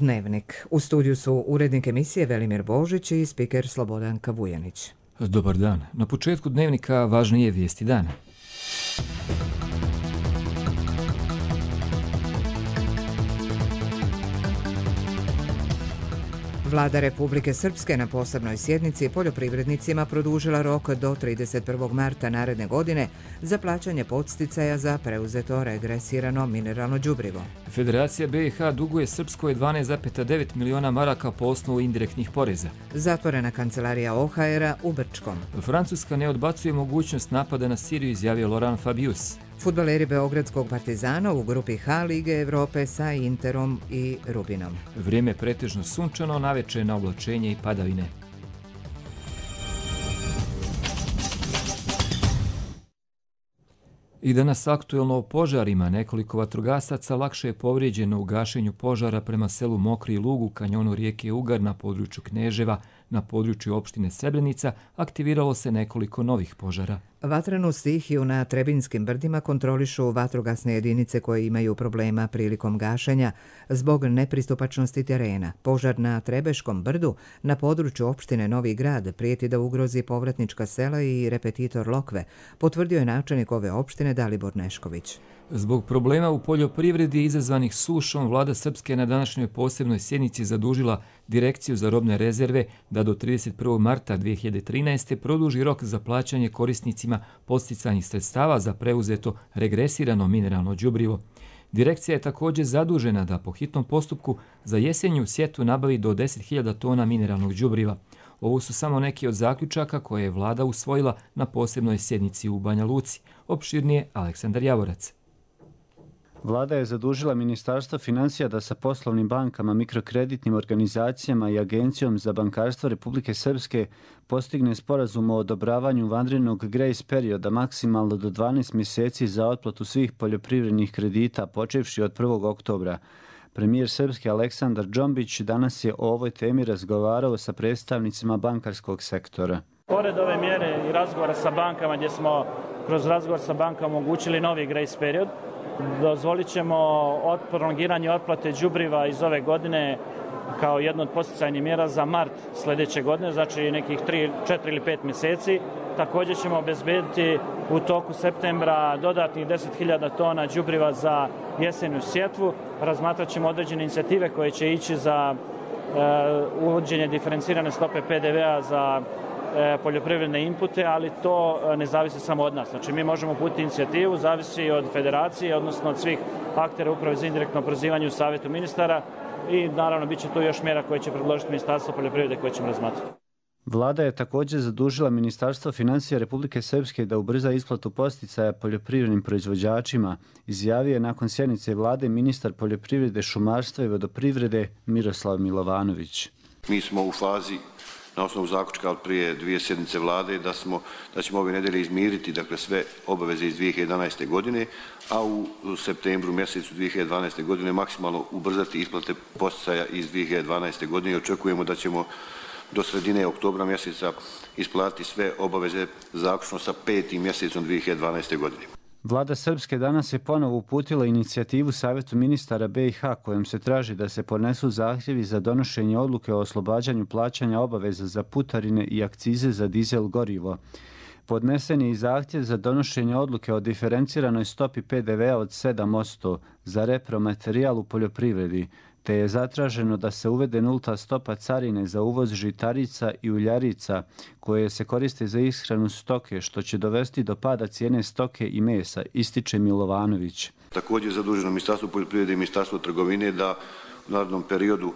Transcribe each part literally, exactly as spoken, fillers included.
Dnevnik. U studiju su urednik emisije Velimir Božić i spiker Slobodanka Vujanić. Dobar dan. Na početku Dnevnika važnije vijesti dana. Vlada Republike Srpske na posebnoj sjednici poljoprivrednicima produžila rok do trideset prvog marta naredne godine za plaćanje podsticaja za preuzeto regresirano mineralno đubrivo. Federacija B i H duguje Srpskoj dvanaest zarez devet miliona maraka po osnovu indirektnih poreza. Zatvorena kancelarija O H R-a u Brčkom. Francuska ne odbacuje mogućnost napada na Siriju, izjavio Laurent Fabius. Fudbaleri Beogradskog Partizana u grupi H Lige Evrope sa Interom i Rubinom. Vrijeme pretežno sunčano, naveče na oblačenje i padavine. I danas aktuelno o požarima. Nekoliko vatrogasaca lakše je povrijeđeno u gašenju požara prema selu Mokri Lug u kanjonu rijeke Ugar na području Kneževa. Na području opštine Srebrenica aktiviralo se nekoliko novih požara. Vatrenu stihiju na Trebinskim brdima kontrolišu vatrogasne jedinice koje imaju problema prilikom gašenja zbog nepristupačnosti terena. Požar na Trebeškom brdu na području opštine Novi Grad prijeti da ugrozi povratnička sela i repetitor Lokve, potvrdio je načelnik ove opštine Dalibor Nešković. Zbog problema u poljoprivredi izazvanih sušom, vlada Srpske na današnjoj posebnoj sjednici zadužila Direkciju za robne rezerve da do trideset prvog marta dvije hiljade trinaeste. produži rok za plaćanje korisnicima podsticajnih sredstava za preuzeto regresirano mineralno đubrivo. Direkcija je također zadužena da po hitnom postupku za jesenju sjetvu nabavi do deset hiljada tona mineralnog đubriva. Ovo su samo neki od zaključaka koje je vlada usvojila na posebnoj sjednici u Banja Luci. Opširnije Aleksandar Javorac. Vlada je zadužila Ministarstvo financija da sa poslovnim bankama, mikrokreditnim organizacijama i Agencijom za bankarstvo Republike Srpske postigne sporazum o odobravanju vanrednog grace perioda maksimalno do dvanaest mjeseci za otplatu svih poljoprivrednih kredita počevši od prvog oktobra. Premijer Srpske Aleksandar Džombić danas je o ovoj temi razgovarao sa predstavnicima bankarskog sektora. Pored ove mjere i razgovora sa bankama gdje smo kroz razgovor sa bankama omogućili novi grace period, dozvolit ćemo prolongiranje otplate đubriva iz ove godine kao jedno od podsticajnih mjera za mart sljedeće godine, znači nekih tri, četiri ili pet mjeseci. Također ćemo obezbediti u toku septembra dodatnih deset hiljada tona đubriva za jesenju sjetvu. Razmatrat ćemo određene inicijative koje će ići za uh, uvođenje diferencirane stope P D V-a za poljoprivredne inpute, ali to ne zavisi samo od nas. Znači, mi možemo uputiti inicijativu, zavisi od federacije, odnosno od svih aktera uprave za indirektno oporezivanje u savjetu ministara i naravno bit će tu još mjera koje će predložiti Ministarstvo poljoprivrede koje ćemo razmatrati. Vlada je također zadužila Ministarstvo financija Republike Srpske da ubrza isplatu podsticaja poljoprivrednim proizvođačima, izjavio je nakon sjednice vlade ministar poljoprivrede, šumarstva i vodoprivrede Miroslav Milovanović. Mi smo u fazi na osnovu zaključka od prije dvije sjednice vlade da, smo, da ćemo ove nedelje izmiriti dakle, sve obaveze iz dvije hiljade jedanaeste. godine, a u, u septembru mjesecu dvije hiljade dvanaeste. godine maksimalno ubrzati isplate podsticaja iz dvije hiljade dvanaeste. godine i očekujemo da ćemo do sredine oktobra mjeseca isplatiti sve obaveze zaključno sa petim mjesecom dvije hiljade dvanaeste. godine. Vlada Srpske danas je ponovo uputila inicijativu Savjetu ministara B i H kojom se traži da se podnesu zahtjevi za donošenje odluke o oslobađanju plaćanja obaveza za putarine i akcize za dizel gorivo. Podnesen je i zahtjev za donošenje odluke o diferenciranoj stopi P D V-a od sedam posto za repromaterijal u poljoprivredi, te je zatraženo da se uvede nulta stopa carine za uvoz žitarica i uljarica koje se koriste za ishranu stoke, što će dovesti do pada cijene stoke i mesa, ističe Milovanović. Također je zaduženo Ministarstvo poljoprivrede i Ministarstvo trgovine da u narednom periodu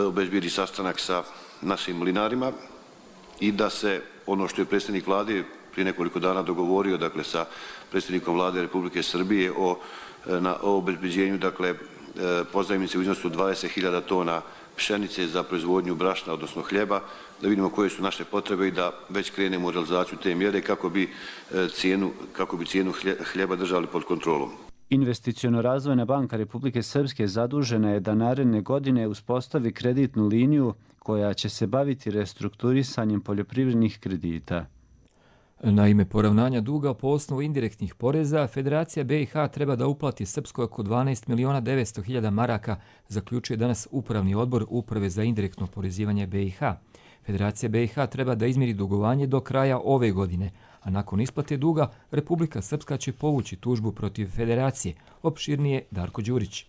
obezbijedi sastanak sa našim mlinarima i da se ono što je predsjednik vlade prije nekoliko dana dogovorio dakle, sa predsjednikom vlade Republike Srbije o, na, o obezbeđenju dakle, pozajmice u iznosu dvadeset hiljada tona pšenice za proizvodnju brašna, odnosno hljeba, da vidimo koje su naše potrebe i da već krenemo u realizaciju te mjere kako bi cijenu, kako bi cijenu hljeba držali pod kontrolom. Investiciono-razvojna banka Republike Srpske zadužena je da naredne godine uspostavi kreditnu liniju koja će se baviti restrukturisanjem poljoprivrednih kredita. Na ime poravnanja duga po osnovu indirektnih poreza, Federacija B i H treba da uplati Srpskoj oko dvanaest miliona devetsto hiljada maraka, zaključuje danas Upravni odbor Uprave za indirektno oporezivanje B i H. Federacija B i H treba da izmiri dugovanje do kraja ove godine, a nakon isplate duga Republika Srpska će povući tužbu protiv Federacije. Opširnije Darko Đurić.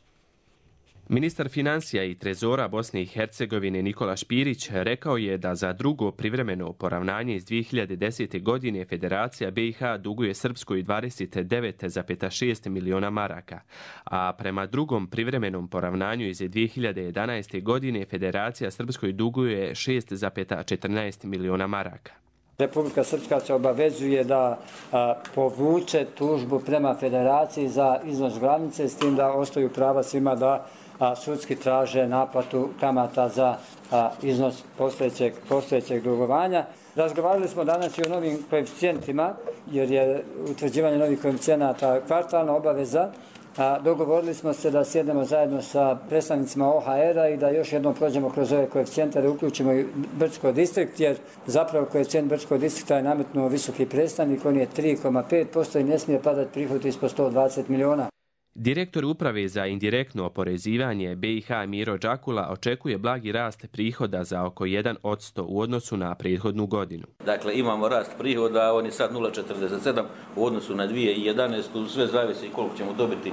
Ministar financija i trezora Bosne i Hercegovine Nikola Špirić rekao je da za drugo privremeno poravnanje iz dvije hiljade desete. godine Federacija B i H duguje Srpskoj dvadeset devet zarez šest miliona maraka, a prema drugom privremenom poravnanju iz dvije hiljade jedanaeste. godine Federacija Srpskoj duguje šest zarez četrnaest miliona maraka. Republika Srpska se obavezuje da a, povuče tužbu prema Federaciji za iznos glavnice, s tim da ostaju prava svima da a, sudski traže naplatu kamata za a, iznos postojećeg, postojećeg dugovanja. Razgovarali smo danas i o novim koeficijentima, jer je utvrđivanje novih koeficijenata kvartalna obaveza. A, dogovorili smo se da sjednemo zajedno sa predstavnicima O H R-a i da još jednom prođemo kroz ove koeficijente, da uključimo i Brčko distrikt, jer zapravo koeficijent Brčkog distrikta je nametnuo visoki predstavnik, on je tri zarez pet posto i ne smije padati prihod ispod sto dvadeset miliona. Direktor Uprave za indirektno oporezivanje B i H Miro Đakula očekuje blagi rast prihoda za oko jedan posto u odnosu na prethodnu godinu. Dakle, imamo rast prihoda, on je sad nula zarez četrdeset sedam u odnosu na dvije hiljade jedanaestu. Sve zavisi koliko ćemo dobiti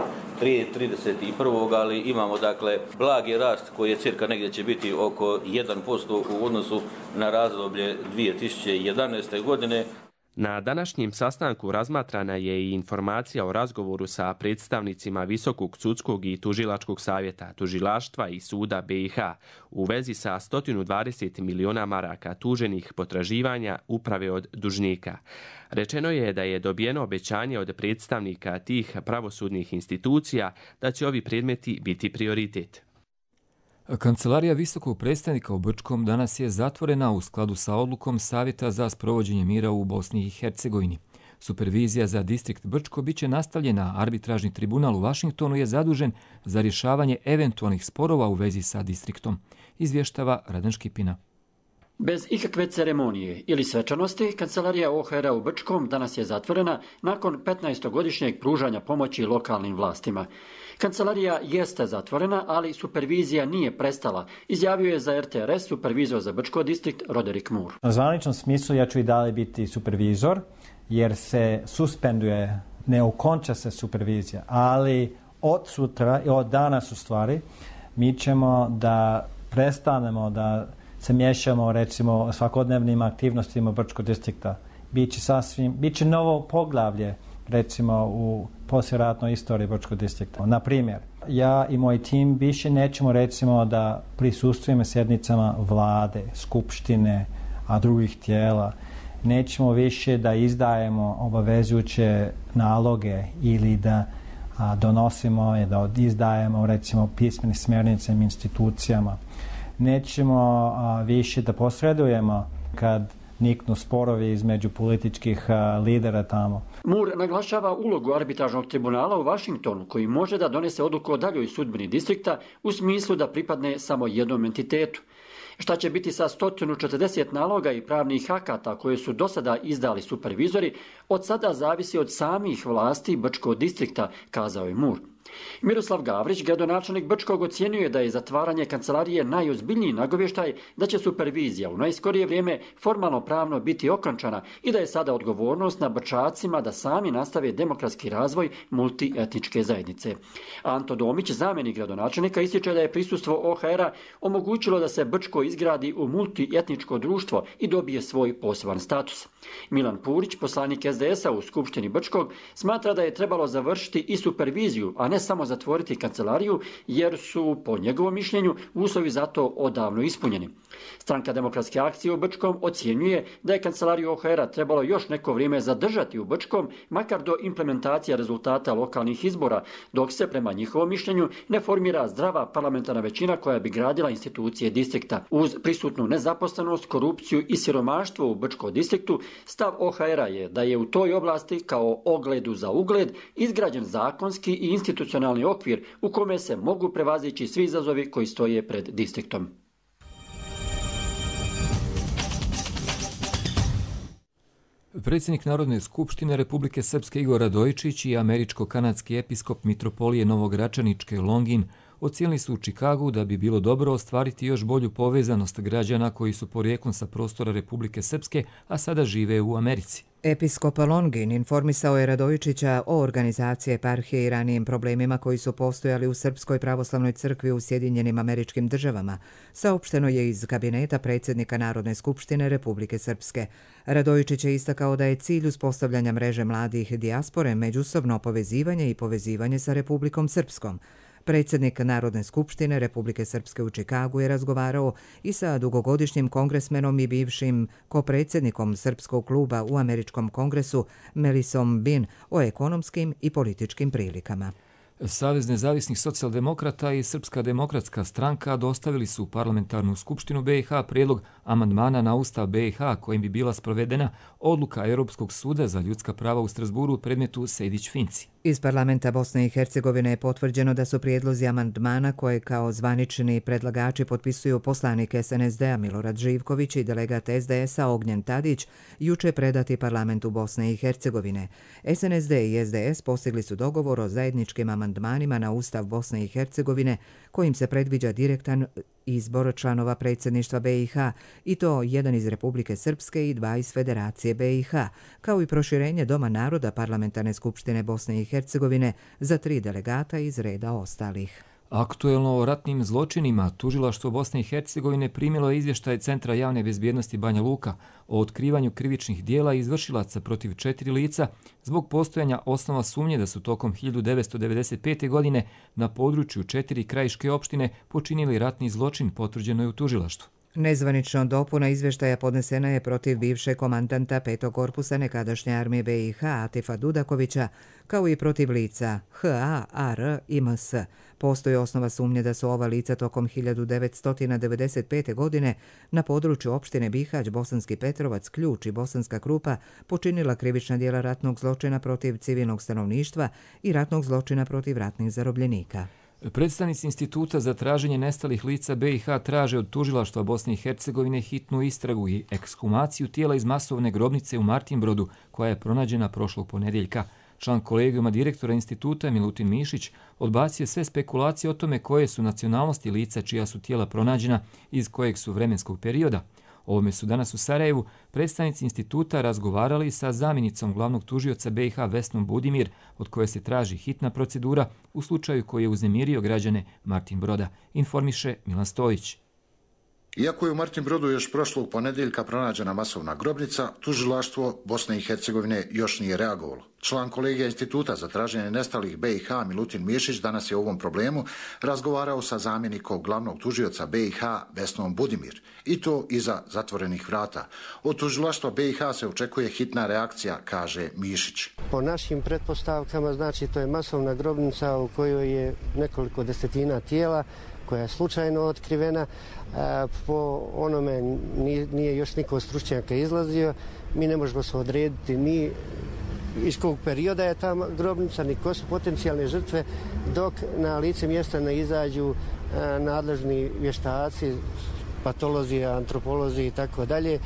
trideset prvog ali imamo dakle blagi rast koji je cirka negdje će biti oko jedan posto u odnosu na razdoblje dvije tisuće jedanaeste. godine. Na današnjem sastanku razmatrana je i informacija o razgovoru sa predstavnicima Visokog sudskog i tužilačkog savjeta, tužilaštva i suda B i H u vezi sa sto dvadeset miliona maraka tuženih potraživanja uprave od dužnika. Rečeno je da je dobijeno obećanje od predstavnika tih pravosudnih institucija da će ovi predmeti biti prioritet. Kancelarija visokog predstavnika u Brčkom danas je zatvorena u skladu sa odlukom Savjeta za sprovođenje mira u Bosni i Hercegovini. Supervizija za distrikt Brčko biće nastavljena, arbitražni tribunal u Vašingtonu je zadužen za rješavanje eventualnih sporova u vezi sa distriktom, izvještava Radan Škipina. Bez ikakve ceremonije ili svečanosti, kancelarija O H R-a u Brčkom danas je zatvorena nakon petnaestogodišnjeg pružanja pomoći lokalnim vlastima. Kancelarija jeste zatvorena, ali supervizija nije prestala, izjavio je za R T R S supervizor za Brčko distrikt Roderick Moore. U zvaničnom smislu ja ću i dalje biti supervizor, jer se suspenduje, ne ukonča se supervizija, ali od sutra i od danas u stvari mi ćemo da prestanemo da se miješamo recimo svakodnevnim aktivnostima Brčkog distrikta. Biće sasvim, biće novo poglavlje recimo u poslijeratnoj istoriji Brčkog distrikta. Na primjer, ja i moj tim više nećemo recimo da prisustvujemo sjednicama vlade, skupštine, a drugih tijela. Nećemo više da izdajemo obavezujuće naloge ili da a, donosimo i da izdajemo recimo pismene smjernice institucijama. Nećemo a, više da posredujemo kad niknu sporovi između političkih a, lidera tamo. Moore naglašava ulogu arbitražnog tribunala u Vašingtonu, koji može da donese odluku o daljoj sudbini distrikta u smislu da pripadne samo jednom entitetu. Šta će biti sa sto četrdeset naloga i pravnih akata koje su do sada izdali supervizori, od sada zavisi od samih vlasti Brčkog distrikta, kazao je Moore. Miroslav Gavrić, gradonačelnik Brčkog, ocjenjuje da je zatvaranje kancelarije najozbiljniji nagovještaj da će supervizija u najskorije vrijeme formalno pravno biti okončana i da je sada odgovornost na Brčacima da sami nastave demokratski razvoj multietničke zajednice. Anto Domić, zamjenik gradonačelnika, ističe da je prisustvo O H R-a omogućilo da se Brčko izgradi u multietničko društvo i dobije svoj poseban status. Milan Purić, poslanik S D S-a u Skupštini Brčkog, smatra da je trebalo završiti i superviziju, a ne samo zatvoriti kancelariju, jer su, po njegovom mišljenju, uslovi za to odavno ispunjeni. Stranka Demokratske akcije u Brčkom ocjenjuje da je kancelariju O H R-a trebalo još neko vrijeme zadržati u Brčkom, makar do implementacija rezultata lokalnih izbora, dok se, prema njihovom mišljenju, ne formira zdrava parlamentarna većina koja bi gradila institucije distrikta. Uz prisutnu nezaposlenost, korupciju i siromaštvo u Brčkom distriktu, stav O H R-a je da je u toj oblasti, kao ogledu za ugled, izgrađen zakonski i institucionalni okvir u kome se mogu prevazići svi izazovi koji stoje pred distriktom. Predsjednik Narodne skupštine Republike Srpske Igor Radojičić i američko-kanadski episkop mitropolije Novogračaničke Longin ocijenili su u Čikagu da bi bilo dobro ostvariti još bolju povezanost građana koji su porijeklom sa prostora Republike Srpske, a sada žive u Americi. Episkop Longin informisao je Radojičića o organizaciji eparhije i ranijim problemima koji su postojali u Srpskoj pravoslavnoj crkvi u Sjedinjenim Američkim Državama. Saopšteno je iz kabineta predsjednika Narodne skupštine Republike Srpske. Radojičić je istakao da je cilj uspostavljanja mreže mladih dijaspore međusobno povezivanje i povezivanje sa Republikom Srpskom. Predsjednik Narodne skupštine Republike Srpske u Čikagu je razgovarao i sa dugogodišnjim kongresmenom i bivšim kopredsjednikom Srpskog kluba u Američkom kongresu Melisom Bin o ekonomskim i političkim prilikama. Savez nezavisnih socijaldemokrata i Srpska demokratska stranka dostavili su u parlamentarnu skupštinu B i H prijedlog amandmana na Ustav B i H kojim bi bila sprovedena odluka Europskog suda za ljudska prava u Strasburu u predmetu Sejdić-Finci. Iz parlamenta Bosne i Hercegovine je potvrđeno da su prijedlozi amandmana koje kao zvanični predlagači potpisuju poslanik S N S D-a Milorad Živković i delegat S D S-a Ognjen Tadić juče predati parlamentu Bosne i Hercegovine. S N S D i S D S postigli su dogovor o zajedničkim amandmanima na Ustav Bosne i Hercegovine kojim se predviđa direktan izbor članova predsjedništva B i H i to jedan iz Republike Srpske i dva iz Federacije B i H, kao i proširenje Doma naroda Parlamentarne skupštine Bosne i Hercegovine za tri delegata iz reda ostalih. Aktuelno o ratnim zločinima tužilaštvo Bosne i Hercegovine primilo je izvještaj Centra javne bezbjednosti Banja Luka o otkrivanju krivičnih dijela izvršilaca protiv četiri lica zbog postojanja osnova sumnje da su tokom hiljadu devetsto devedeset pete. godine na području četiri krajiške opštine počinili ratni zločin, potvrđeno je u tužilaštvu. Nezvanično dopuna izvještaja podnesena je protiv bivšeg komandanta petog korpusa nekadašnje armije B i H Atifa Dudakovića, kao i protiv lica H A, A R i M S. Postoji osnova sumnje da su ova lica tokom hiljadu devetsto devedeset pete. godine na području opštine Bihać, Bosanski Petrovac, Ključ i Bosanska Krupa počinila krivična djela ratnog zločina protiv civilnog stanovništva i ratnog zločina protiv ratnih zarobljenika. Predstavnici Instituta za traženje nestalih lica B i H traže od tužilaštva Bosne i Hercegovine hitnu istragu i ekshumaciju tijela iz masovne grobnice u Martinbrodu koja je pronađena prošlog ponedjeljka. Član kolegijuma direktora instituta Milutin Mišić odbacio sve spekulacije o tome koje su nacionalnosti lica čija su tijela pronađena iz kojeg su vremenskog perioda. O ovome su danas u Sarajevu predstavnici instituta razgovarali sa zamjenicom glavnog tužioca B i H Vesnom Budimir, od koje se traži hitna procedura u slučaju koji je uznemirio građane Martinbroda, informiše Milan Stojić. Iako je u Martinbrodu još prošlog ponedjeljka pronađena masovna grobnica, tužilaštvo Bosne i Hercegovine još nije reagovalo. Član kolegija Instituta za traženje nestalih B i H Milutin Mišić danas je o ovom problemu razgovarao sa zamjenikom glavnog tužioca B i H Vesnom Budimir, i to iza zatvorenih vrata. Od tužilaštva B i H se očekuje hitna reakcija, kaže Mišić. Po našim pretpostavkama, znači to je masovna grobnica u kojoj je nekoliko desetina tijela koja je slučajno otkrivena. Po onome nije još niko stručnjaka izlazio. Mi ne možemo se odrediti ni iz kog perioda je ta grobnica, ni ko su potencijalne žrtve, dok na lice mjesta ne izađu nadležni vještaci, patolozi, antropolozi i tako dalje.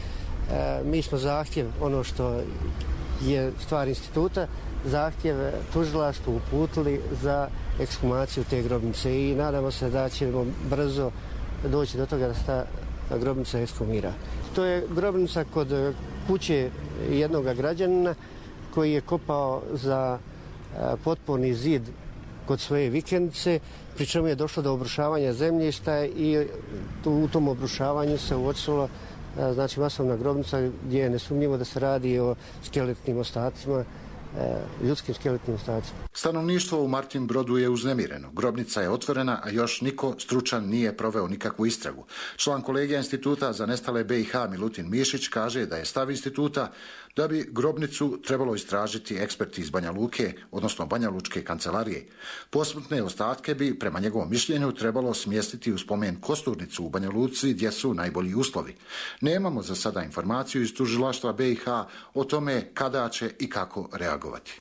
Mi smo zahtjev, ono što je stvar instituta, zahtjev tužilaštvu uputili za ekshumaciju te grobnice i nadamo se da ćemo brzo doći do toga da se ta grobnica ekshumira. To je grobnica kod kuće jednog građanina koji je kopao za potporni zid kod svoje vikendice, pri čemu je došlo do obrušavanja zemljišta i u tom obrušavanju se uočilo znači masovna grobnica gdje je nesumnjivo da se radi o skeletnim ostacima, ljudskim skeletnim ostacima. Stanovništvo u Martinbrodu je uznemireno. Grobnica je otvorena, a još niko stručan nije proveo nikakvu istragu. Član kolegija Instituta za nestale B i H Milutin Mišić kaže da je stav instituta da bi grobnicu trebalo istražiti eksperti iz Banja Luke, odnosno Banja Lučke kancelarije. Posmrtne ostatke bi, prema njegovom mišljenju, trebalo smjestiti u spomen kosturnicu u Banja Luci gdje su najbolji uslovi. Nemamo za sada informaciju iz tužilaštva B i H o tome kada će i kako reagovati.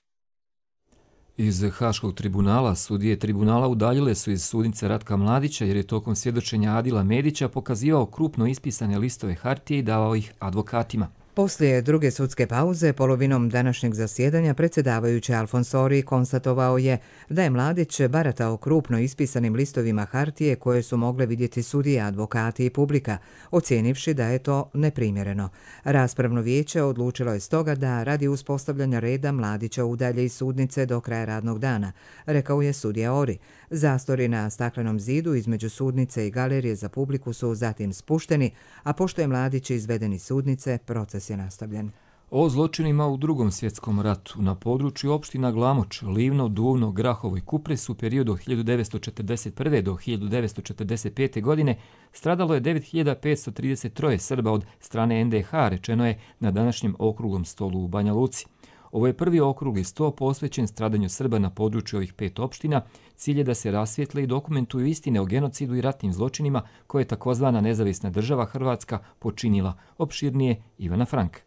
Iz Haškog tribunala sudije tribunala udaljile su iz sudnice Ratka Mladića jer je tokom svjedočenja Adila Medića pokazivao krupno ispisane listove hartije i davao ih advokatima. Poslije druge sudske pauze, polovinom današnjeg zasjedanja, predsjedavajući Alfonsori konstatovao je da je Mladić baratao krupno ispisanim listovima hartije koje su mogle vidjeti sudije, advokati i publika, ocijenivši da je to neprimjereno. Raspravno vijeće odlučilo je stoga da radi uspostavljanja reda Mladića udalje iz sudnice do kraja radnog dana, rekao je sudija Ori. Zastori na staklenom zidu između sudnice i galerije za publiku su zatim spušteni, a pošto je Mladić izveden iz sudnice, proces je nastavljen. O zločinima u drugom svjetskom ratu na području opština Glamoč, Livno, Duvno, Grahovo i Kupres u periodu od hiljadu devetsto četrdeset prve do hiljadu devetsto četrdeset pete. godine stradalo je devet hiljada petsto trideset tri Srba od strane en de ha, rečeno je na današnjem okruglom stolu u Banja Luci. Ovo je prvi okrugli sto posvećen stradanju Srba na području ovih pet opština. Cilj je da se rasvijetle i dokumentuju istine o genocidu i ratnim zločinima koje je takozvana nezavisna država Hrvatska počinila. Opširnije Ivana Frank.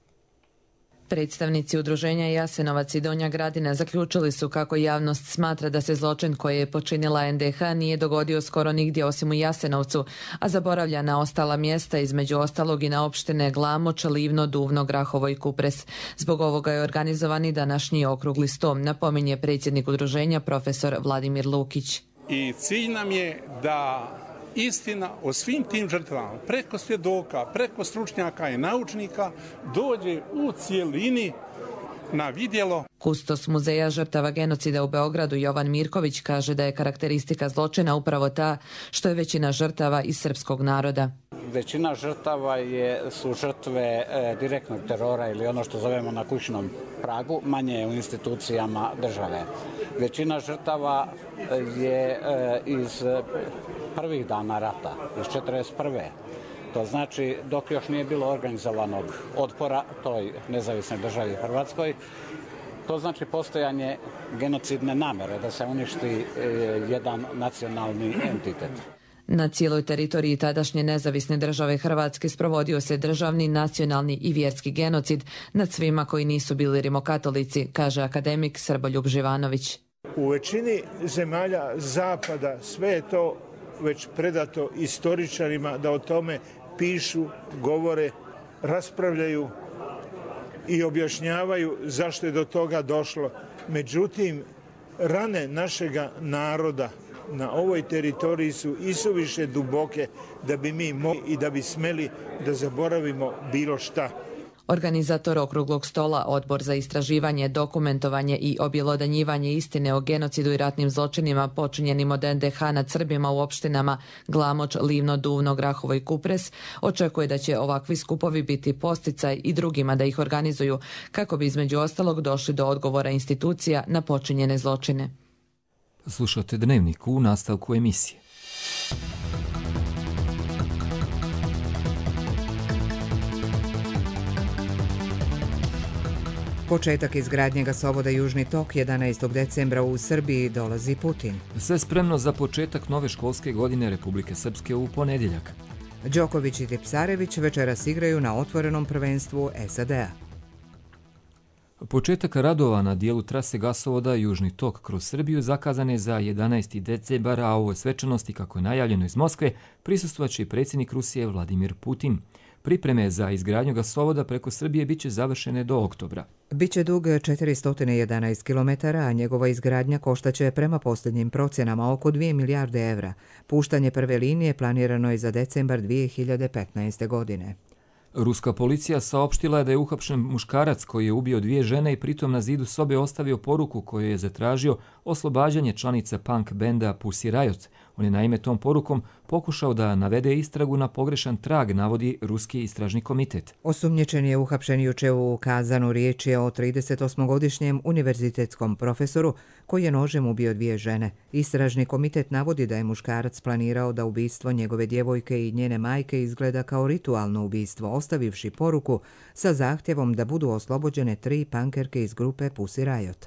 Predstavnici udruženja Jasenovac i Donja Gradina zaključili su kako javnost smatra da se zločin koji je počinila en de ha nije dogodio skoro nigdje osim u Jasenovcu, a zaboravlja na ostala mjesta, između ostalog i na opštine Glamoč, Livno, Duvno, Grahovo i Kupres. Zbog ovoga je organizovani današnji okrugli sto, napominje predsjednik udruženja profesor Vladimir Lukić. I cilj nam je da istina o svim tim žrtvama, preko svjedoka, preko stručnjaka i naučnika, dođe u cijelini na vidjelo. Kustos Muzeja žrtava genocida u Beogradu Jovan Mirković kaže da je karakteristika zločina upravo ta što je većina žrtava iz srpskog naroda. Većina žrtava je, su žrtve e, direktnog terora ili ono što zovemo na kućnom pragu, manje u institucijama države. Većina žrtava je e, iz prvih dana rata, iz četrdeset prve. To znači dok još nije bilo organizovanog otpora toj nezavisnoj državi Hrvatskoj, to znači postojanje genocidne namere da se uništi e, jedan nacionalni entitet. Na cijeloj teritoriji tadašnje nezavisne države Hrvatske sprovodio se državni, nacionalni i vjerski genocid nad svima koji nisu bili rimokatolici, kaže akademik Srboljub Živanović. U većini zemalja zapada sve je to već predato istoričarima da o tome pišu, govore, raspravljaju i objašnjavaju zašto je do toga došlo. Međutim, rane našega naroda na ovoj teritoriji su isuviše duboke da bi mi mogli i da bi smeli da zaboravimo bilo šta. Organizator okruglog stola, Odbor za istraživanje, dokumentovanje i objelodanjivanje istine o genocidu i ratnim zločinima počinjenim od en de ha nad Srbima u opštinama Glamoč, Livno, Duvno, Grahovo i Kupres, očekuje da će ovakvi skupovi biti posticaj i drugima da ih organizuju, kako bi između ostalog došli do odgovora institucija na počinjene zločine. Slušate Dnevnik u nastavku emisije. Početak izgradnje gasovoda Južni tok jedanaestog decembra u Srbiji dolazi Putin. Sve spremno za početak nove školske godine Republike Srpske u ponedjeljak. Đoković i Tipsarević večeras igraju na otvorenom prvenstvu es a de a. Početak radova na dijelu trase gasovoda Južni tok kroz Srbiju zakazan je za jedanaesti decembar, a ovoj svečanosti, kako je najavljeno iz Moskve, prisustvovaće i predsjednik Rusije Vladimir Putin. Pripreme za izgradnju gasovoda preko Srbije biće završene do oktobra. Biće dug četiristo jedanaest kilometara, a njegova izgradnja koštaće prema posljednjim procjenama oko dvije milijarde evra. Puštanje prve linije planirano je za decembar dvije hiljade petnaeste. godine. Ruska policija saopštila je da je uhapšen muškarac koji je ubio dvije žene i pritom na zidu sobe ostavio poruku koju je zatražio oslobađanje članica punk benda Pussy Riot. On je naime tom porukom pokušao da navede istragu na pogrešan trag, navodi Ruski istražni komitet. Osumnjičen je uhapšen juče u Kazanu. Riječ je o tridesetosmogodišnjem univerzitetskom profesoru koji je nožem ubio dvije žene. Istražni komitet navodi da je muškarac planirao da ubistvo njegove djevojke i njene majke izgleda kao ritualno ubistvo, ostavivši poruku sa zahtjevom da budu oslobođene tri pankerke iz grupe Pussy Riot.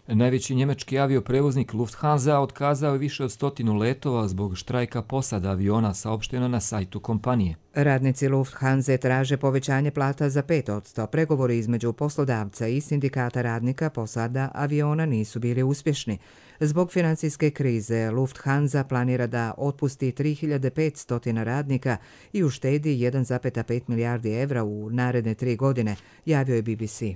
Najveći njemački avioprevoznik Lufthansa otkazao je više od stotinu letova zbog štrajka posada aviona, saopšteno na sajtu kompanije. Radnici Lufthansa traže povećanje plata za pet posto. Pregovori između poslodavca i sindikata radnika posada aviona nisu bili uspješni. Zbog financijske krize Lufthansa planira da otpusti tri hiljade petsto radnika i uštedi jedan zarez pet milijardi evra u naredne tri godine, javio je B B C.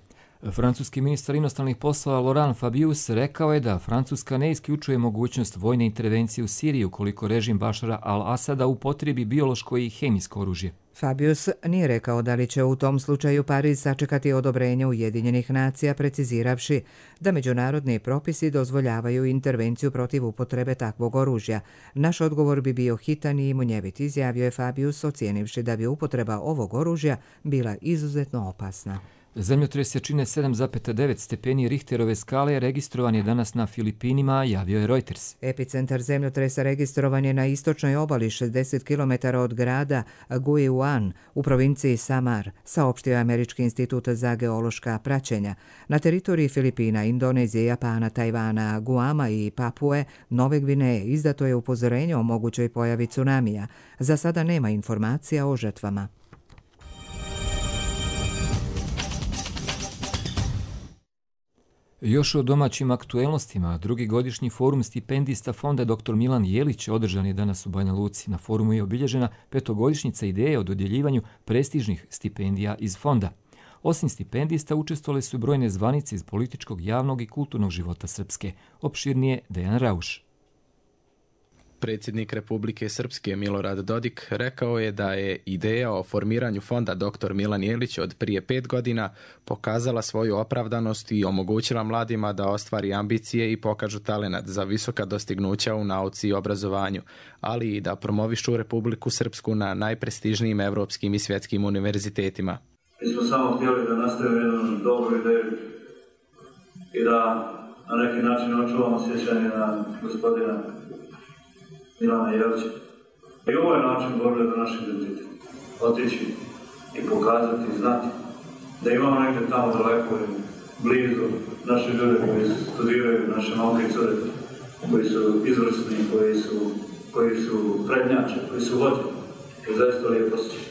Francuski ministar inostranih poslova Laurent Fabius rekao je da Francuska ne isključuje mogućnost vojne intervencije u Siriji ukoliko režim Bašara al-Asada upotrijebi biološko i hemijsko oružje. Fabius nije rekao da li će u tom slučaju Pariz sačekati odobrenje Ujedinjenih nacija, preciziravši da međunarodni propisi dozvoljavaju intervenciju protiv upotrebe takvog oružja. Naš odgovor bi bio hitan i munjevit, izjavio je Fabius, ocijenivši da bi upotreba ovog oružja bila izuzetno opasna. Zemljotres jačine sedam zarez devet stepeni Richterove skale registrovan je danas na Filipinima, javio je Reuters. Epicentar zemljotresa registrovan je na istočnoj obali šezdeset kilometara od grada Guiuan u provinciji Samar, saopštio je Američki institut za geološka praćenja. Na teritoriji Filipina, Indonezije, Japana, Tajvana, Guama i Papue, Nove Gvineje izdato je upozorenje o mogućoj pojavi tsunamija. Za sada nema informacija o žrtvama. Još o domaćim aktuelnostima, drugi godišnji forum stipendista fonda doktor Milan Jelić održan je danas u Banja Luci. Na forumu je obilježena petogodišnjica ideje o dodjeljivanju prestižnih stipendija iz fonda. Osim stipendista učestvovale su brojne zvanice iz političkog, javnog i kulturnog života Srpske. Opširnije Dejan Rauš. Predsjednik Republike Srpske Milorad Dodik rekao je da je ideja o formiranju fonda doktor Milan Jelić od prije pet godina pokazala svoju opravdanost i omogućila mladima da ostvari ambicije i pokažu talenat za visoka dostignuća u nauci i obrazovanju, ali i da promovišu Republiku Srpsku na najprestižnijim evropskim i svjetskim univerzitetima. Mi smo samo htjeli da nastavimo jednu dobru ideju i da na neki način očuvamo sjećanje na gospodina Milana Jelića. I ovo je način borbe za naš identitet. Otići i pokazati i znati da imamo negdje tamo daleko i blizu naše ljude koji studiraju, naše momke i cure, koji su izvrsni, koji su, koji su prednjači, koji su vođe. To je zaista lijepo osjećaj.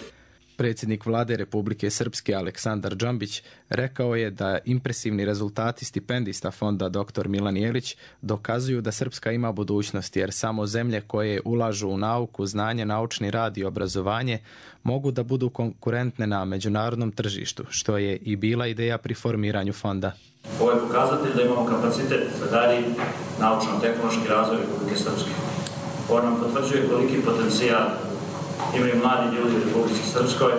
Predsjednik vlade Republike Srpske Aleksandar Džambić rekao je da impresivni rezultati stipendista fonda doktor Milan Jelić dokazuju da Srpska ima budućnost, jer samo zemlje koje ulažu u nauku, znanje, naučni rad i obrazovanje mogu da budu konkurentne na međunarodnom tržištu, što je i bila ideja pri formiranju fonda. Ovo je pokazatelj da imamo kapacitet za dalji naučno-tehnološki razvoj Republike Srpske. Ovo nam potvrđuje koliki potencijal imaju mladi ljudi u Republici Srpskoj,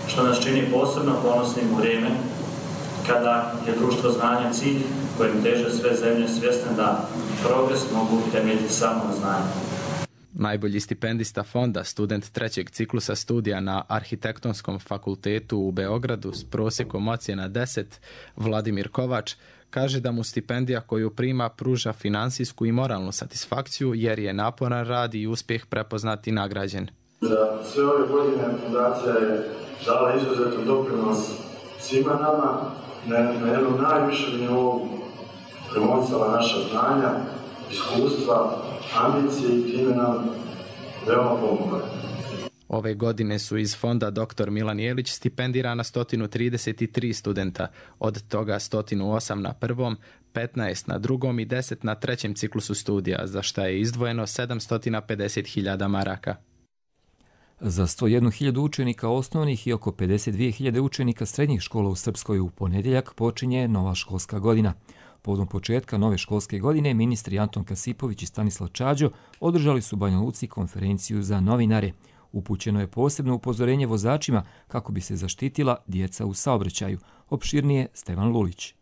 što nas čini posebno ponosnim u vrijeme kada je društvo znanja cilj kojim teže sve zemlje svjesne da progres mogu temeljiti samo na znanju. Najbolji stipendista fonda, student trećeg ciklusa studija na Arhitektonskom fakultetu u Beogradu s prosjekom ocjena deset, Vladimir Kovač, kaže da mu stipendija koju prima pruža finansijsku i moralnu satisfakciju jer je naporan rad i uspjeh prepoznat i nagrađen. Za sve ove godine fundacija je dala izuzetan doprinos svima nama, na, na jednom najvišem nivou promovisala naša znanja, iskustva, ambicije i time nam veoma pomogla. Ove godine su iz fonda doktor Milan Jelić stipendirana sto trideset tri studenta, od toga sto osam na prvom, petnaest na drugom i deset na trećem ciklusu studija, za šta je izdvojeno sedamsto pedeset hiljada maraka. Za sto jednu hiljadu učenika osnovnih i oko pedeset dvije hiljade učenika srednjih škola u Srpskoj u ponedjeljak počinje nova školska godina. Povodom početka nove školske godine ministri Anton Kasipović i Stanislav Čađo održali su u Banja Luci konferenciju za novinare. Upućeno je posebno upozorenje vozačima kako bi se zaštitila djeca u saobraćaju. Opširnije Stevan Lulić.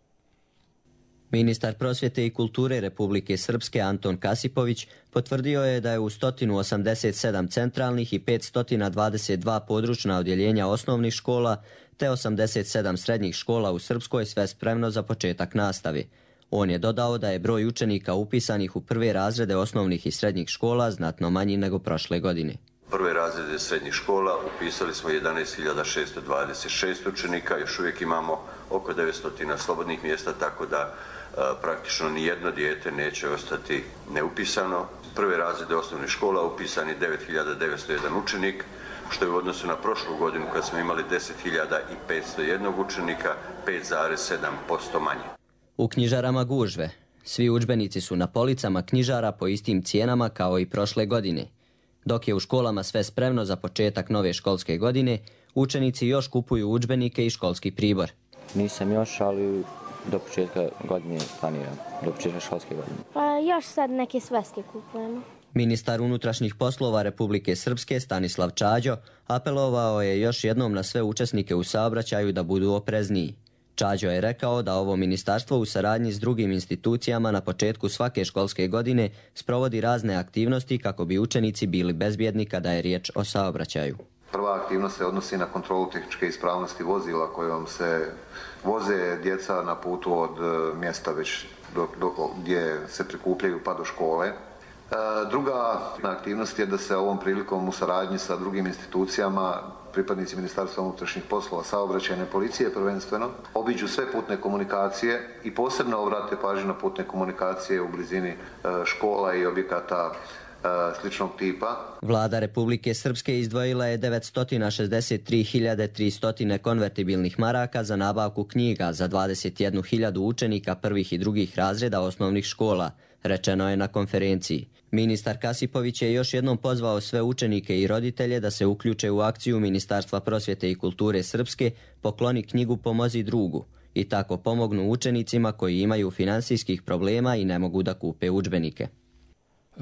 Ministar prosvjete i kulture Republike Srpske Anton Kasipović potvrdio je da je u sto osamdeset sedam centralnih i petsto dvadeset dva područna odjeljenja osnovnih škola te osamdeset sedam srednjih škola u Srpskoj sve spremno za početak nastave. On je dodao da je broj učenika upisanih u prve razrede osnovnih i srednjih škola znatno manji nego prošle godine. Prve razrede srednjih škola upisali smo jedanaest hiljada šesto dvadeset šest učenika, još uvijek imamo oko devetsto slobodnih mjesta, tako da praktično nijedno dijete neće ostati neupisano. Prve razrede osnovnih škola upisani devet hiljada devetsto jedan učenik, što je u odnosu na prošlu godinu kad smo imali deset hiljada petsto jedan učenika, pet zarez sedam posto manje. U knjižarama gužve. Svi udžbenici su na policama knjižara po istim cijenama kao i prošle godine. Dok je u školama sve spremno za početak nove školske godine, učenici još kupuju udžbenike i školski pribor. Nisam još, ali do početka godine planiram, do početka školske godine. Pa još sad neke sveske kupujemo. Ministar unutrašnjih poslova Republike Srpske Stanislav Čađo apelovao je još jednom na sve učesnike u saobraćaju da budu oprezniji. Čađo je rekao da ovo ministarstvo u saradnji s drugim institucijama na početku svake školske godine sprovodi razne aktivnosti kako bi učenici bili bezbjedni kada je riječ o saobraćaju. Prva aktivnost se odnosi na kontrolu tehničke ispravnosti vozila kojom se voze djeca na putu od mjesta već do, do, gdje se prikupljaju pa do škole. Druga aktivnost je da se ovom prilikom u saradnji sa drugim institucijama, pripadnici Ministarstva unutrašnjih poslova, saobraćajne policije prvenstveno, obiđu sve putne komunikacije i posebno obrate pažnju na putne komunikacije u blizini škola i objekata sličnog tipa. Vlada Republike Srpske izdvojila je devetsto šezdeset tri hiljade tristo konvertibilnih maraka za nabavku knjiga za dvadeset jednu hiljadu učenika prvih i drugih razreda osnovnih škola, rečeno je na konferenciji. Ministar Kasipović je još jednom pozvao sve učenike i roditelje da se uključe u akciju Ministarstva prosvjete i kulture Srpske Pokloni knjigu, pomozi drugu i tako pomognu učenicima koji imaju finansijskih problema i ne mogu da kupe udžbenike.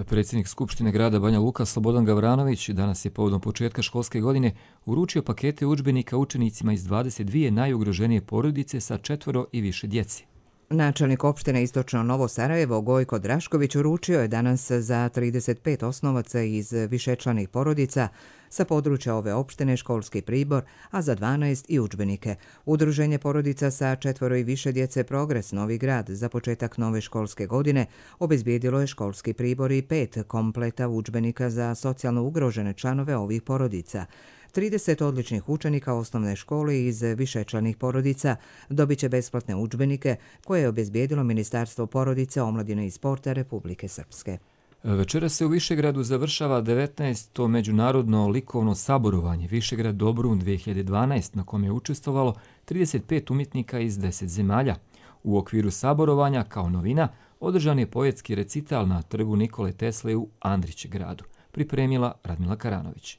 Predsjednik Skupštine grada Banja Luka Slobodan Gavranović danas je povodom početka školske godine uručio pakete udžbenika učenicima iz dvadeset dvije najugroženije porodice sa četvoro i više djeci. Načelnik opštine Istočno Novo Sarajevo Gojko Drašković uručio je danas za trideset pet osnovaca iz višečlanih porodica sa područja ove opštine školski pribor, a za dvanaest i udžbenike. Udruženje porodica sa četvoro i više djece Progres Novi Grad za početak nove školske godine obezbijedilo je školski pribor i pet kompleta udžbenika za socijalno ugrožene članove ovih porodica. trideset odličnih učenika osnovne škole iz višečlanih porodica dobit će besplatne udžbenike koje je obezbijedilo Ministarstvo porodice, omladine i sporta Republike Srpske. Večera se u Višegradu završava devetnaesto međunarodno likovno saborovanje Višegrad Dobrun dvije hiljade dvanaest na kom je učestvovalo trideset pet umjetnika iz deset zemalja. U okviru saborovanja kao novina održan je poetski recital na trgu Nikole Tesle u Andrić gradu, pripremila Radmila Karanović.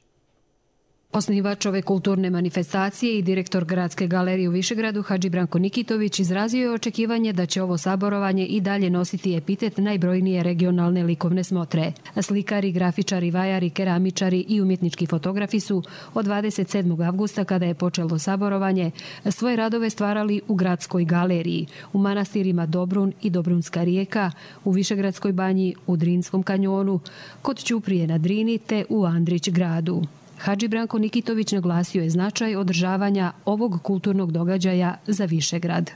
Osnivač ove kulturne manifestacije i direktor Gradske galerije u Višegradu Hadži Branko Nikitović izrazio je očekivanje da će ovo saborovanje i dalje nositi epitet najbrojnije regionalne likovne smotre. Slikari, grafičari, vajari, keramičari i umjetnički fotografi su od dvadeset sedmog avgusta, kada je počelo saborovanje, svoje radove stvarali u Gradskoj galeriji, u manastirima Dobrun i Dobrunska rijeka, u Višegradskoj banji, u Drinskom kanjonu, kod Ćuprije na Drini te u Andrić gradu. Hadži Branko Nikitović naglasio je značaj održavanja ovog kulturnog događaja za Višegrad.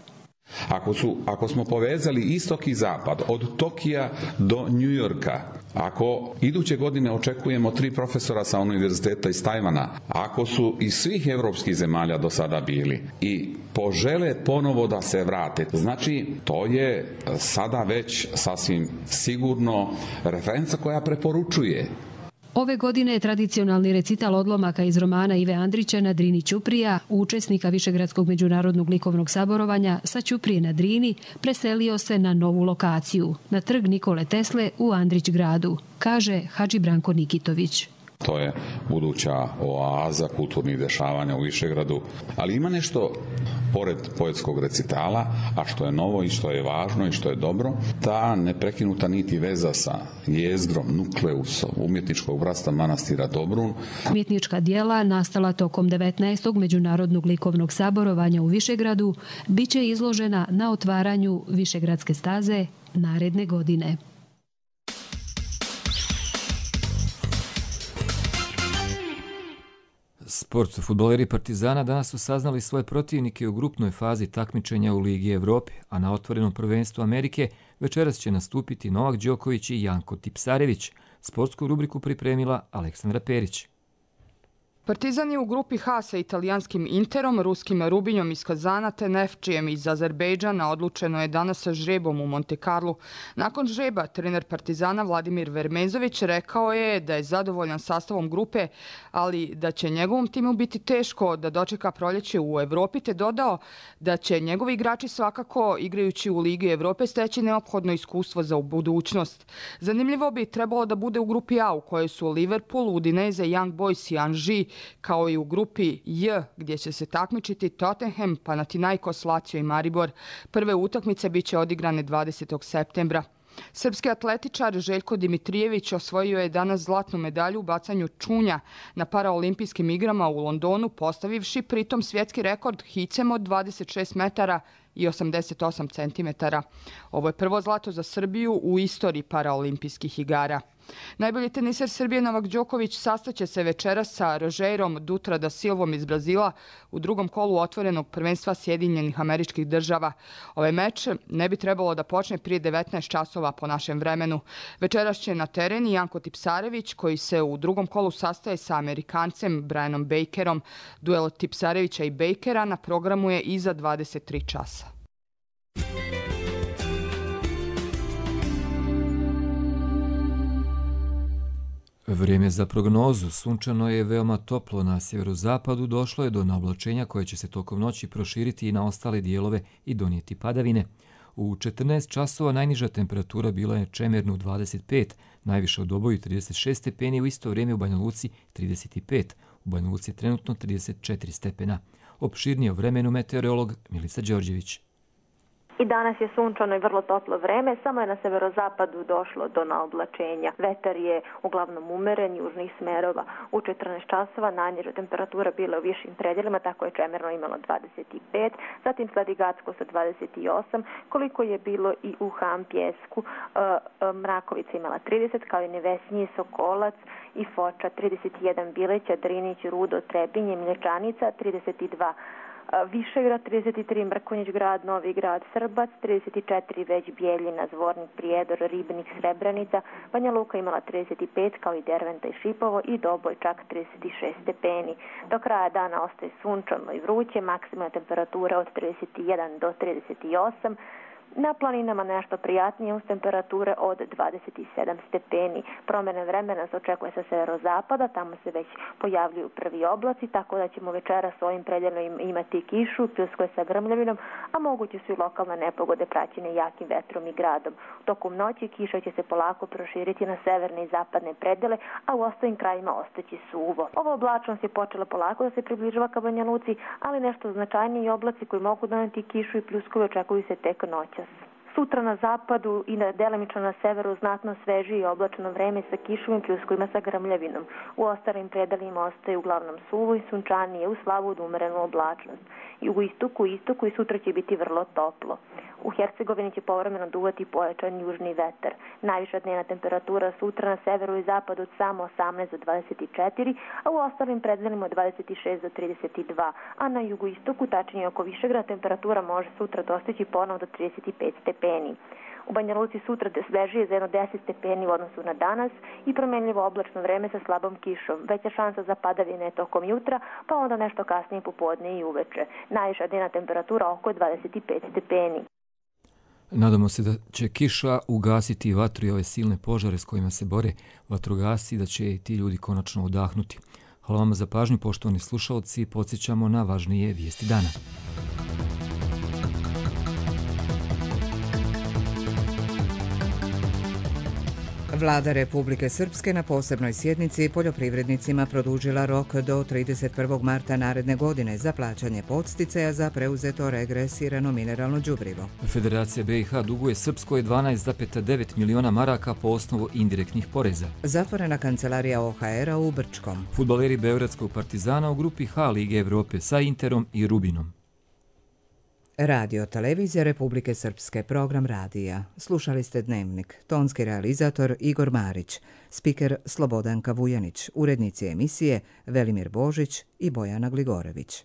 Ako, su, ako smo povezali istok i zapad, od Tokija do Njujorka, ako iduće godine očekujemo tri profesora sa univerziteta iz Tajvana, ako su iz svih evropskih zemalja do sada bili i požele ponovo da se vrate, znači to je sada već sasvim sigurno referenca koja preporučuje. Ove godine je tradicionalni recital odlomaka iz romana Ive Andrića na Drini Ćuprija, učesnika Višegradskog međunarodnog likovnog saborovanja sa Ćuprije na Drini, preselio se na novu lokaciju, na trg Nikole Tesle u Andrić gradu, kaže Hadži Branko Nikitović. To je buduća oaza kulturnih dešavanja u Višegradu, ali ima nešto pored poetskog recitala, a što je novo i što je važno i što je dobro, ta neprekinuta niti veza sa jezdrom, nukleusom umjetničkog bratstva manastira Dobrun. Umjetnička dijela nastala tokom devetnaestog međunarodnog likovnog saborovanja u Višegradu biće izložena na otvaranju Višegradske staze naredne godine. Sport. Fudbaleri Partizana danas su saznali svoje protivnike u grupnoj fazi takmičenja u Ligi Evrope, a na otvorenom prvenstvu Amerike večeras će nastupiti Novak Đoković i Janko Tipsarević. Sportsku rubriku pripremila Aleksandra Perić. Partizan je u grupi H sa italijanskim Interom, ruskim Rubinjom iz Kazana te Nefčijem iz Azerbejdžana. Odlučeno je danas sa žrebom u Monte Carlu. Nakon žreba trener Partizana Vladimir Vermezović rekao je da je zadovoljan sastavom grupe, ali da će njegovom timu biti teško da dočeka proljeće u Evropi, te dodao da će njegovi igrači svakako, igrajući u Ligi Evrope, steći neophodno iskustvo za budućnost. Zanimljivo bi trebalo da bude u grupi A u kojoj su Liverpool, Udinese, Young Boys i Anži, kao i u grupi J gdje će se takmičiti Tottenham, Panathinaikos, Lazio i Maribor. Prve utakmice biće odigrane dvadesetog septembra. Srpski atletičar Željko Dimitrijević osvojio je danas zlatnu medalju u bacanju čunja na paraolimpijskim igrama u Londonu, postavivši pritom svjetski rekord hicem od dvadeset šest metara i osamdeset osam centimetara. Ovo je prvo zlato za Srbiju u istoriji paraolimpijskih igara. Najbolji teniser Srbije Novak Đoković sastaće se večeras sa Rogerom Dutra da Silvom iz Brazila u drugom kolu otvorenog prvenstva Sjedinjenih Američkih Država. Ovaj meč ne bi trebalo da počne prije devetnaest časova po našem vremenu. Večeras će na teren i Janko Tipsarević, koji se u drugom kolu sastaje sa Amerikancem Brianom Bakerom. Duel Tipsarevića i Bakera na programu je iza dvadeset tri časa. Vrijeme za prognozu. Sunčano je veoma toplo na sjeverozapadu, došlo je do naoblačenja koje će se tokom noći proširiti i na ostale dijelove i donijeti padavine. U četrnaest časova najniža temperatura bila je čemerno dvadeset pet, najviše u Doboju trideset šest stepeni, u isto vrijeme u Banja Luci trideset pet. U Banja Luci je trenutno trideset četiri stepena. Opširnije o vremenu meteorolog Milica Đorđević. I danas je sunčano i vrlo toplo vreme, samo je na severozapadu došlo do naoblačenja. Vetar je uglavnom umeren, južnih smerova. U četrnaest časova najniža temperatura bila u višim predjelima, tako je čemerno imalo dvadeset pet, zatim sledi Gacko sa dvadeset osam, koliko je bilo i u Ham Pjesku. Mrakovica imala trideset, kao i Nevesinji, Sokolac i Foča trideset jedan, Bileća, Drinić, Rudo, Trebinje, Mlječanica trideset dva. Višegrad trideset tri, Mrkonjić grad, Novi grad, Srbac, trideset četiri, već Bijeljina, Zvornik, Prijedor, Ribnik, Srebrenica, Banja Luka imala trideset pet, kao i Derventa i Šipovo, i Doboj čak trideset šest stepeni. Do kraja dana ostaje sunčano i vruće, maksimalna temperatura od trideset jedan do trideset osam, na planinama nešto prijatnije uz temperature od dvadeset sedam stepeni. Promjene vremena se očekuje sa severozapada, tamo se već pojavljuju prvi oblaci, tako da ćemo večeras s ovim predjelom imati kišu, pljuskove sa grmljavinom, a moguće su i lokalne nepogode praćene jakim vetrom i gradom. Tokom noći kiša će se polako proširiti na severne i zapadne predjele, a u ostalim krajima ostaći suvo. Ova oblačnost je počela polako da se približava ka Banja Luci, ali nešto značajniji oblaci koji mogu doneti kišu i pljuskove očekuju se tek noćas. Sutra na zapadu i na delimično na severu znatno svežije i oblačno vreme sa kišom i pljuskovima sa grmljavinom. U ostalim predalima ostaje uglavnom suvo i sunčanije uz slabu od umerenu oblačnost. Jugoistoku i istoku i sutra će biti vrlo toplo. U Hercegovini će povremeno duvati pojačan južni vetar. Najviša dnevna temperatura sutra na severu i zapadu od samo osamnaest do dvadeset četiri, a u ostalim preddelima od dvadeset šest do trideset dva, a na jugoistoku, tačnije oko Višegrada, temperatura može sutra dostići ponovo do trideset pet stepeni. U Banja Luci sutra svežije za jedno deset stepeni u odnosu na danas i promenljivo oblačno vreme sa slabom kišom. Veća šansa za padavine tokom jutra, pa onda nešto kasnije popodne i uveče. Najviša dnevna temperatura oko dvadeset pet stepeni. Nadamo se da će kiša ugasiti vatru i ove silne požare s kojima se bore vatrogasci, da će ti ljudi konačno odahnuti. Hvala vam za pažnju, poštovani slušalci, podsjećamo na važnije vijesti dana. Vlada Republike Srpske na posebnoj sjednici poljoprivrednicima produžila rok do trideset prvog marta naredne godine za plaćanje podsticaja za preuzeto regresirano mineralno đubrivo. Federacija B i H duguje Srpskoj dvanaest zarez devet miliona maraka po osnovu indirektnih poreza. Zatvorena kancelarija O H R-a u Brčkom. Fudbaleri Beogradskog Partizana u grupi H Lige Evrope sa Interom i Rubinom. Radio Televizija Republike Srpske, program radija. Slušali ste Dnevnik. Tonski realizator Igor Marić, spiker Slobodanka Vujanić, urednici emisije Velimir Božić i Bojana Gligorević.